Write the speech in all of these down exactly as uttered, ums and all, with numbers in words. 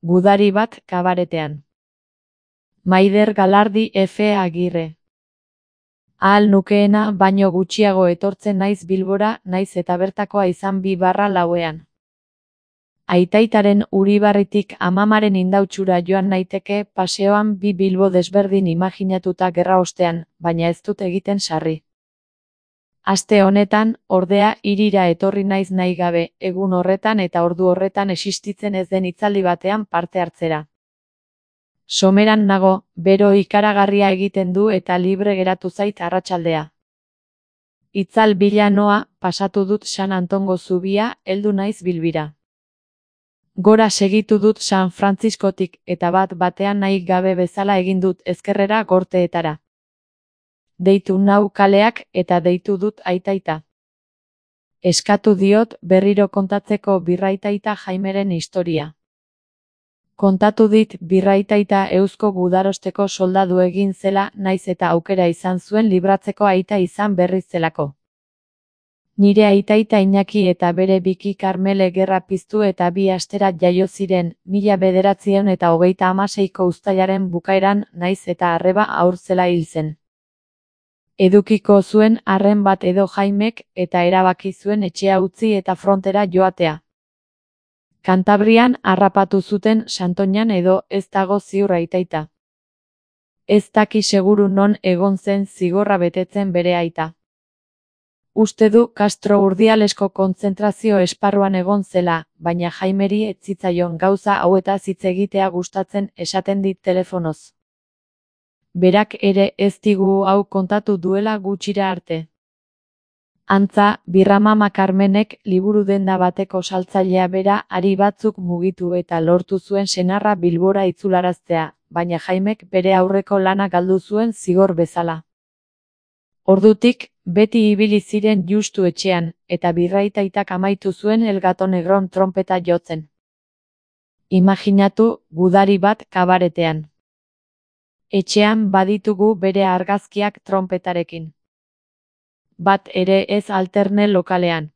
Gudari bat kabaretean. Maider Galardi F. Agirre. Ahal nukeena baino gutxiago etortzen naiz Bilbora, naiz eta bertakoa izan bi barra lauean. Aitaitaren Uribarritik amamaren Indautxura joan naiteke paseoan bi Bilbo desberdin imaginatuta gerra ostean, baina ez dut egiten sarri. Aste honetan, ordea, hirira etorri naiz nahi gabe, egun horretan eta ordu horretan existitzen ez den hitzaldi batean parte hartzera. Someran nago, bero ikaragarria egiten du eta libre geratu zait arratsaldea. Itzal bila noa, pasatu dut San Antongo zubia, heldu naiz Bilbira. Gora segitu dut San Frantziskotik eta bat batean nahi gabe bezala egin dut ezkerrera Gorteetara. Deitu nau kaleak eta deitu dut aitaita. Eskatu diot berriro kontatzeko birraitaita Jaimeren historia. Kontatu dit birraitaita Eusko Gudarosteko soldadu egin zela naiz eta aukera izan zuen libratzeko aita izan berriz zelako. Nire aitaita Iñaki eta bere biki Karmele gerra piztu eta bi astera jaio ziren, mila bederatziehun eta hogeita hamaseiko uztailaren bukaeran naiz eta arreba haur zela hil zen. Edukiko zuen arren bat edo Jaimek eta erabaki zuen etxea utzi eta frontera joatea. Kantabrian harrapatu zuten Santoñan edo ez dago ziur aitaita. Ez daki seguru non egon zen zigorra betetzen bere aita. Uste du Castro Urdialesko kontzentrazio esparruan egon zela, baina Jaimeri ez zitzaion gauza hauetaz hitz egitea gustatzen esaten dit telefonoz. Berak ere ez digu hau kontatu duela gutxira arte. Antza, Birramama Karmenek liburu denda bateko saltzailea bera ari batzuk mugitu eta lortu zuen senarra Bilbora itzularaztea, baina Jaimek bere aurreko lana galdu zuen zigor bezala. Ordutik, beti ibili ziren justu etxean, eta birraitaitak amaitu zuen El Gato Negron tronpeta jotzen. Imaginatu, gudari bat kabaretean. Etxean baditugu bere argazkiak tronpetarekin. Bat ere ez alterne lokalean.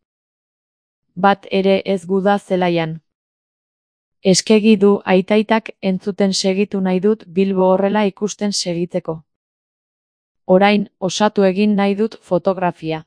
Bat ere ez guda zelaian. Eskegi du aitaitak entzuten segitu nahi dut Bilbo horrela ikusten segitzeko. Orain, osatu egin nahi dut fotografia.